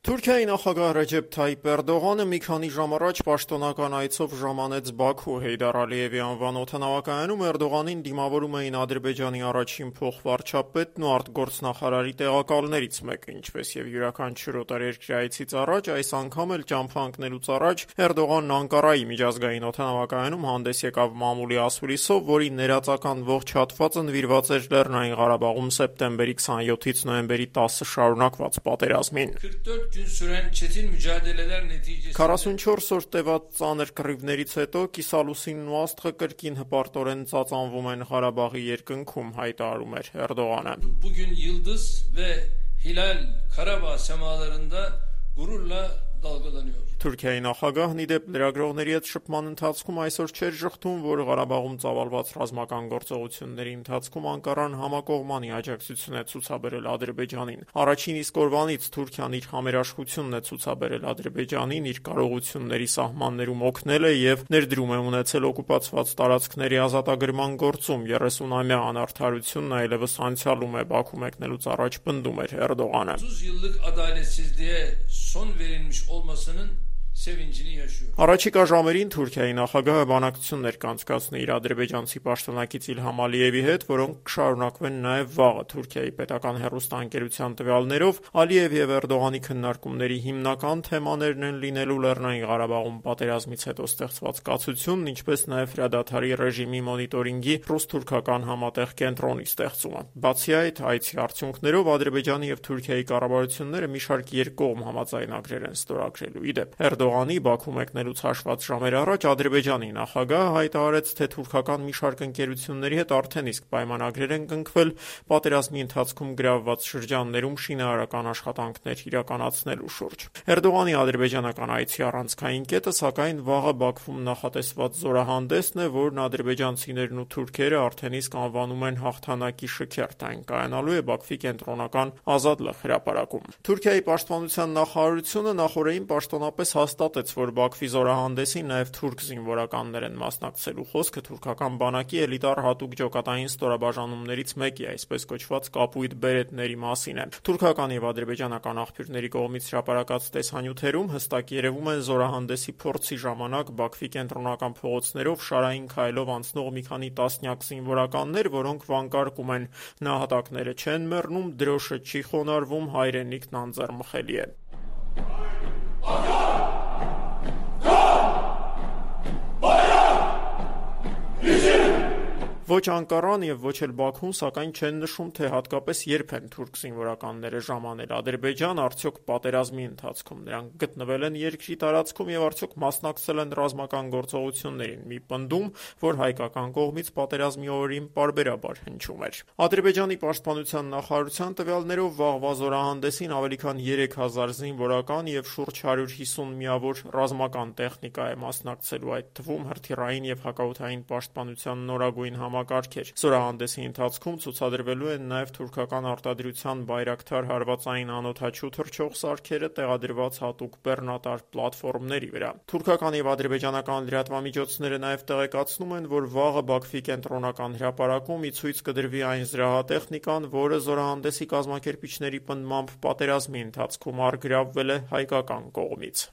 Թուրքիայի նախագահ Ռեջեփ Թայիպ Էրդողանը մի քանի ժամ առաջ պաշտոնական այցով ժամանեց Բաքու Հեյդար Ալիևի անվան օդանավակայանում Էրդողանին դիմավորում էին Ադրբեջանի առաջին փոխվարչապետն ու արտգործնախարարի տեղակալներից մեկը, ինչպես եւ յուրաքանչյուր օտարերկրյա այցից առաջ, այս անգամ էլ ճամփա ընկնելուց առաջ Էրդողանն Անկարայի միջազգային օդանավակայանում հանդես եկավ մամուլի ասուլիսով, որի ներածական ողջ հատվածը նվիրված էր Լեռնային Ղարաբաղում սեպտեմբերի 27-ից նոյեմբերի 10-ը շարունակված պատերազմին։ 44 օր տևած ծանր կռիվներից հետո կիսալուսինն ու աստղը կրկին հպարտորեն ծածանվում են Ղարաբաղի երկնքում, հայտարարում էր Էրդողանը։ Bugün yıldız ve hilal Karabağ semalarında gururla dalgalanıyor. Թուրքիայի նախագահն ի դեպ լրագրողների հետ շփման ընթացքում այսօր չէր ժխտում, որ Ղարաբաղում ծավալված ռազմական գործողությունների ընթացքում Անկարան համակողմանի աջակցություն է ցուցաբերել Ադրբեջանին։ Առաջին իսկ օրվանից Թուրքիան իր համերաշխությունն է ցուցաբերել Ադրբեջանին, իր կարողությունների սահմաններում օգնել է եւ ներդրում է ունեցել օկուպացված տարածքների ազատագրման գործում։ 30-ամյա անարդարությունն այլևս անցյալում է, Բաքու մեկնելուց առաջ պնդում էր Էրդողանը։ 30 yıllık adaletsizliğe son verilmiş olmasının sevincini yaşıyor. Առաջիկա ժամերին Թուրքիայի նախագահը բանակցություններ կանցկացնի իր ադրբեջանցի պաշտոնակից Իլհամ Ալիևի հետ, որոնք կշարունակվեն նաև վաղը։ Թուրքիայի պետական հեռուստաընկերության տվյալներով Ալիև եւ Էրդողանի քննարկումների հիմնական թեմաներն են լինելու Լեռնային Ղարաբաղում պատերազմից հետո ստեղծված կացությունն, ինչպես նաև հրադադարի ռեժիմի մոնիտորինգի ռուս-թուրքական համատեղ կենտրոնի ստեղծումը։ Բացի այդ, այցի արդյունքներով Ադրբեջանի եւ Թուրքիայի կառավարությունները մի շարք երկկողմ համաձայնագրեր են ստորագրելու։ Ի դեպ, Էրդողանի Բաքու մեկնելուց հաշված ժամեր առաջ Ադրբեջանի նախագահը հայտարարեց, թե թուրքական մի շարք ընկերությունների հետ արդեն իսկ պայմանագրեր են կնքվել պատերազմի ընթացքում գրավված շրջաններում շինարարական աշխատանքներ իրականացնելու շուրջ։ Էրդողանի ադրբեջանական այցի առանցքային կետը, սակայն, վաղը Բաքվում նախատեսված զորահանդեսն է, որն ադրբեջանցիներն ու թուրքերը արդեն իսկ անվանում են հաղթանակի շքերթ, այն կայանալու է Բաքվի կենտրոնական Ազատ լեռ հրապարակում։ Թուրքիայի պաշտպանության նախարարությունը նախորդին պաշտոնապես հաստատեց, որ Բաքվի զորահանդեսին նաև թուրք զինվորականներ են մասնակցելու։ Խոսքը թուրքական բանակի էլիտար հատուկ ջոկատային ստորաբաժանումներից մեկի, այսպես կոչված կապույտ բերետների մասին է։ Թուրքական եւ ադրբեջանական աղբյուրների կողմից հրապարակած տեսանյութերում հստակ երևում են զորահանդեսի փորձի ժամանակ Բաքվի կենտրոնական փողոցներով շարային քայլով անցնող մի քանի տասնյակ զինվորականներ, որոնք վանկարկում են նահատակները չեն մեռնում, դրոշը չի խոնարհվում, հայրենիքն անձեռմխելի է։ Ոչ Անկարան եւ ոչ էլ Բաքուն, սակայն չեն նշում, թե հատկապես երբ են թուրք զինվորականները ժամանել Ադրբեջան, արդյոք պատերազմի ընթացքում նրանք գտնվել են երկրի տարածքում եւ արդյոք մասնակցել են ռազմական գործողություններին։ Մի պնդում, որ հայկական կողմից պատերազմի օրերին պարբերաբար հնչում էր։ Ադրբեջանի պաշտպանության նախարարության տվյալներով վաղվա զորահանդեսին ավելի քան 3000 զինվորական եւ շուրջ 150 միավոր ռազմական տեխնիկա է մասնակցելու, այդ թվում հրթիռային եւ հակաօդային պաշտպանության նորագույն համակարգեր։ Զորահանդեսի ընթացքում ցուցադրվելու են նաև թուրքական արտադրության Բայրակթար հարվածային անօդաչու թռչող սարքերը տեղադրված հատուկ բեռնատար պլատֆորմների վրա։ Թուրքական եւ ադրբեջանական լրատվամիջոցները նաև տեղեկացնում են, որ վաղը Բաքվի կենտրոնական հրապարակում ի ցույց կդրվի այն զրահատեխնիկան, որը զորահանդեսի կազմակերպիչների պնդմամբ պատերազմի ընթացքում առգրավվել է հայկական կողմից։